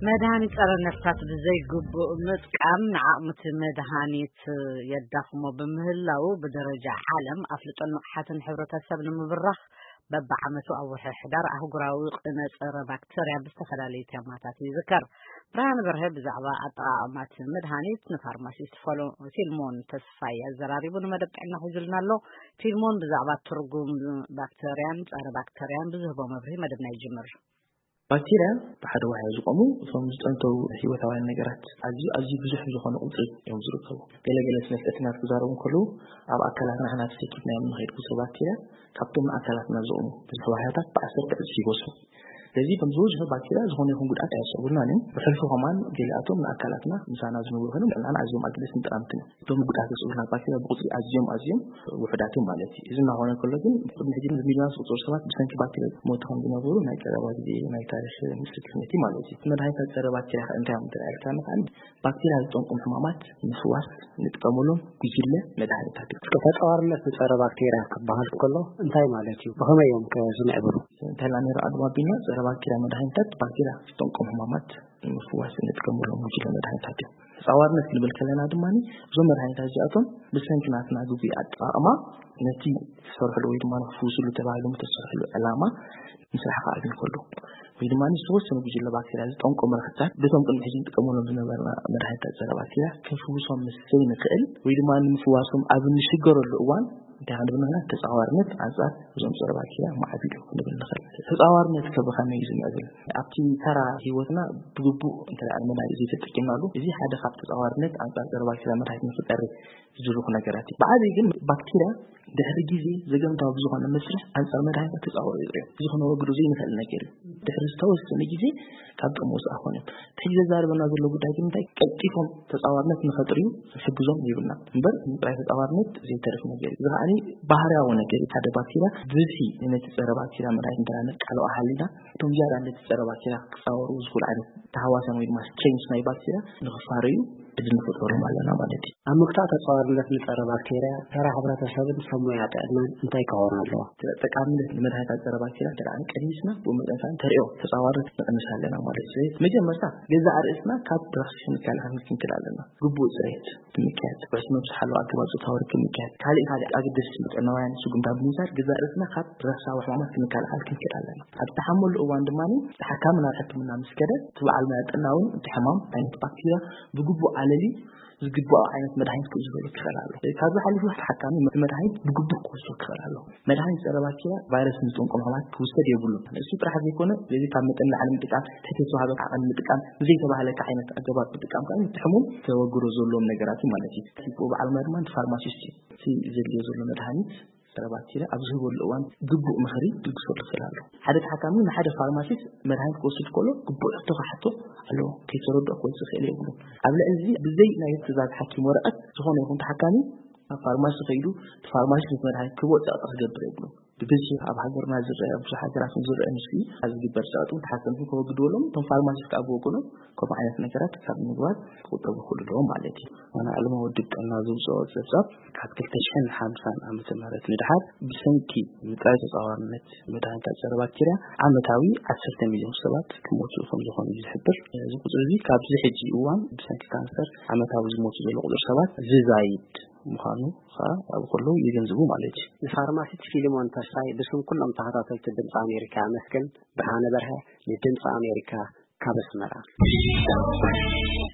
መድሃኒት ጸረ ነፍሳት ብዘይግቡእ ምጥቃም ንዓቕምቲ መድሃኒት የዳኽሞ ብምህላው፣ ብደረጃ ዓለም ኣፍልጦን ንቕሓትን ሕብረተሰብ ንምብራኽ፣ በብዓመቱ ኣብ ወርሒ ሕዳር ኣህጉራዊ ቅነ ጸረ ባክተርያ ብዝተፈላለዩ ቴማታት ይዝከር። ብርሃን በርሀ ብዛዕባ ኣጠቓቕማት መድሃኒት ንፋርማሲስት ፎሎ-፣ ፊልሞን ተስፋይ ኣዘራሪቡ ንመደብ ጥዕና ሒዙልና ኣሎ። ፊልሞን ብዛዕባ ትርጉም ባክተርያን ጸረ ባክተርያን ብዝህቦ መብርሂ መደብና ይጅምር። ባክቴርያ ብሓደ ዋሕያ ዝቆሙ እቶም ዝጠንተው ህይወታውያን ነገራት ኣዝዩ ኣዝዩ ብዙሕ ዝኾነ ቁፅሪ እዮም ዝርከቡ። ገለገለ ስነ ፍልጠትናት ክዛረቡ እንከለዉ፣ ኣብ ኣካላትና ንሕና ተሰኪፍናዮም ንኸይድ ብዙሕ ባክቴርያ ካብቶም ንኣካላትና ዝቆሙ ብዙሕ ዋሕያታት ብዓሰርተ ዕፅፊ ይበዝሑ። ስለዚ እቶም ዝበዝሑ ባክቴርያ ዝኾነ ይኹን ጉድኣት ኣየስዕቡልናን እዮም። ብሕልፊ ከማን ገሊኣቶም ንኣካላትና ምሳና ዝነብሩ ኮይኖም ንዕናና ኣዝዮም ኣገደስትን ጠቓምትን እዮም። እቶም ጉድኣት ዘስዕቡልና ባክቴርያ ብቁፅሪ ኣዝዮም ኣዝዮም ውሑዳት እዮም ማለት እዩ። እዚ እናኾነ ከሎ ግን ቅድሚ ሕጂ ብሚልዮናት ዝቁፀሩ ሰባት ብሰንኪ ባክቴርያ ሞቱ ከም ዝነበሩ ናይ ቀረባ ግዜ ናይ ታሪክ ምስክርነት እዩ ማለት እዩ። መድሃኒታት ጸረ ባክቴርያ ከ እንታይ እዮም? እንተ ኢልካኒ ከኣ ባክቴርያ ዝጠንቆም ሕማማት ንፍዋስ ንጥቀመሎም ጉጅለ መድሃኒታት እዩ። ተጻዋርነት ንጸረ ባክቴርያ ክበሃል ከሎ እንታይ ማለት እዩ? ብኸመይ እዮም ከ ዝምዕብሉ? እንተላ ነይሩ ኣግባብ ቢና ጸረ ባክቴርያ መድሃኒታት ባክቴርያ ዝጠንቆም ሕማማት ንምፍዋስ እንጥቀመሎም ጉጅለ መድሃኒታት እዮም። ተጻዋርነት ክንብል ከለና ድማ እዞም መድሃኒታት እዚኣቶም ብሰንኪ ናትና ግጉይ ኣጠቓቕማ ነቲ ተሰርሕሉ ወይ ድማ ክፍውስሉ ተባሂሎም ተሰርሕሉ ዕላማ ምስራሕ ክኣዝን ከሎ ወይ ድማ ዝተወሰኑ ጉጅለ ባክቴርያ ዝጠንቆ መርፍታት በቶም ቅድሚ ሕጂ ንጥቀመሎም ዝነበርና መድሃኒታት ጸረ ባክቴርያ ክንፍውሶም ምስ ዘይንኽእል ወይ ድማ ንምፍዋሶም ኣብ እንሽገረሉ እዋን እንታይ ክንብል ንኽእል? ተጻዋርነት ኣንጻር እዞም ጸረ ባክቴርያ ማዕቢሉ ክንብል ንኽእል። ተጻዋርነት ከ ብኸመይ እዩ ዝምዕብል? ኣብቲ ተራ ህይወትና ብግቡእ እንተ ደኣ መድሃኒት ዘይተጠቂምናሉ፣ እዚ ሓደ ካብ ተጻዋርነት ኣንጻር ጸረ ባክቴርያ መድሃኒት ንኽጸሪ ዝድርኹ ነገራት እዩ። ብዓብዪ ግን ባክቴርያ ድሕሪ ግዜ ዘገምታዊ ብዝኾነ መስርሕ ኣንጻር መድሃኒት ተጻወሩ እዮም። እዚ ክነወግዶ ዘይንኽእል ነገር እዩ። ድሕሪ ዝተወሰነ ግዜ ካብ ጥቕሚ ወፃእ ክኾኑ እዮም። እቲ ሕጂ ዘዛርበና ዘሎ ጉዳይ ግን እንታይ? ቀልጢፎም ተጻዋርነት ንኸጥርዩ ዝሕግዞም ይብልና እምበር፣ ጥራይ ተጻዋርነት ዘይተርፍ ነገር እዩ። እዚ ከዓኒ ባህርያዊ ነገር እዩ። ሓደ ባክቴርያ ብብዝሒ ነቲ ጸረ ባክቴርያ መድሃኒት እንተ ነቃልዖ ሃሊና፣ እቶም ዝያዳ ነቲ ጸረ ባክቴርያ ክጻወሩ ዝኽእሉ ዓይነት ተሃዋስያን ወይ ድማ ስትሬንስ ናይ ባክቴርያ ንኽፋረዩ ዕድል ንፈጥረሎም ኣለና ማለት እዩ። ኣብ ምግታእ ተጻዋርነት ንጸረ ባክቴርያ ተራ ሕብረተሰብን ሰብ ሞያ ጥዕናን እንታይ ክኸውን ኣለዎ? ጠቃምነት ንመድሃኒታት ጸረ ባክቴርያ እንተ ደኣ ቀኒስና፣ ብኡ መጠን ከዓ ተርእዮ ተጻዋርነት ንቕንስ ኣለና ማለት እዩ። ስለዚ መጀመርታ ገዛእ ርእስና ካብ ረኽሲ ክንከላኸል ክንክእል ኣለና። ግቡእ ጽሬት ብምክያድ፣ ርሑስ መብዝሒ ኣለዎ ኣገባብ ጾታዊ ርክብ ምክያድ፣ ካልእ ካልእ ኣገደስቲ ጥዕናውያን ስጉምታት ብምውሳድ ገዛእ ርእስና ካብ ረኽሳዊ ሕማማት ክንከላኸል ክንክእል ኣለና። ኣብ ዝተሓመሉ እዋን ድማ እቲ ሓካሚ ናብ ሕክምና ምስ ከደ፣ እቲ በዓል ሞያ ጥዕና እውን እቲ ሕማም ዓይነት ባክቴርያ ብግቡእ ኣለሊ ዝግባኦ ዓይነት መድሃኒት ክውስደሉ ክኽእል ኣሎ። ካብዚ ሓሊፉ ተሓካሚ መድሃኒት ብግቡእ ክወስዶ ክኽእል ኣሎ። መድሃኒት ጸረ ባክቴርያ ቫይረስ ንዝጠንቆም ሕማማት ክውሰድ የብሉን። እሱ ጥራሕ ዘይኮነ፣ ስለዚ ካብ መጠን ንላዕሊ ምጥቃም፣ ትሕቲ ዝተዋህበ ዓቐን ምጥቃም፣ ብዘይተባህለካ ዓይነት ኣገባብ ምጥቃም ከዓ እቲ ሕሙም ተወግዶ ዘለዎም ነገራት እዩ ማለት እዩ። እቲ በዓል ሞያ ድማ እቲ ፋርማሲስት እዩ። እቲ ዘድልዮ ዘሎ መድሃኒት ጸረ ባክቴርያ ኣብ ዝህበሉ እዋን ግቡእ ምኽሪ ክልግሰሉ ይኽእል ኣሎ። ሓደ ተሓካሚ ንሓደ ፋርማሲስት መድሃኒት ክወስድ ከሎ ግቡእ ሕቶ ክሓቶ ኣለዎ። ከይተረድኦ ክወስድ ይኽእል የብሉን። ኣብ ልዕሊ እዚ ብዘይ ናይ ትእዛዝ ሓኪም ወረቐት ዝኾነ ይኹን ተሓካሚ ናብ ፋርማሲ ከይዱ እቲ ፋርማሲስት ነቲ መድሃኒት ክህቦ ጸቕጢ ክገብር የብሉን። ብብዝሒ ኣብ ሃገርና ዝረአ፣ ኣብ ብዙሕ ሃገራት እውን ዝረአ ንሱ እዩ። ኣብ ዝግበር ጸቕጢ እውን ተሓከምቲ ከወግድዎም፣ እቶም ፋርማሲስት ከዓ ብወገኖም ከምኡ ዓይነት ነገራት ካብ ምግባር ክቁጠቡ ይኽእሉ ኣለዎም ማለት እዩ። ዋና ዕለማዊ ውድብ ጥዕና ዘውፅኦ ፀብፃብ ካብ ክልተ ሽሕን ሓምሳን ዓመተ ምህረት ንድሓር ብሰንኪ ምፅራይ ተፃዋርነት መድሃኒታት ፀረ ባክቴርያ ዓመታዊ ዓሰርተ ሚልዮን ሰባት ክሞቱ ከም ዝኾኑ እዩ ዝሕብር። እዚ ቁፅሪ እዚ ካብዚ ሕጂ እዋን ብሰንኪ ካንሰር ዓመታዊ ዝሞቱ ዘሎ ቁፅሪ ሰባት ዝዛይድ ምዃኑ ከዓ ኣብኡ ከለዉ የገንዝቡ ማለት እዩ። ንፋርማሲስት ፊልሞን ተስፋይ ብስም ኩሎም ተኸታተልቲ ድምፂ ኣሜሪካ ኣመስግን። ብርሃነ በርሀ ንድምፂ ኣሜሪካ ካብ ኣስመራ።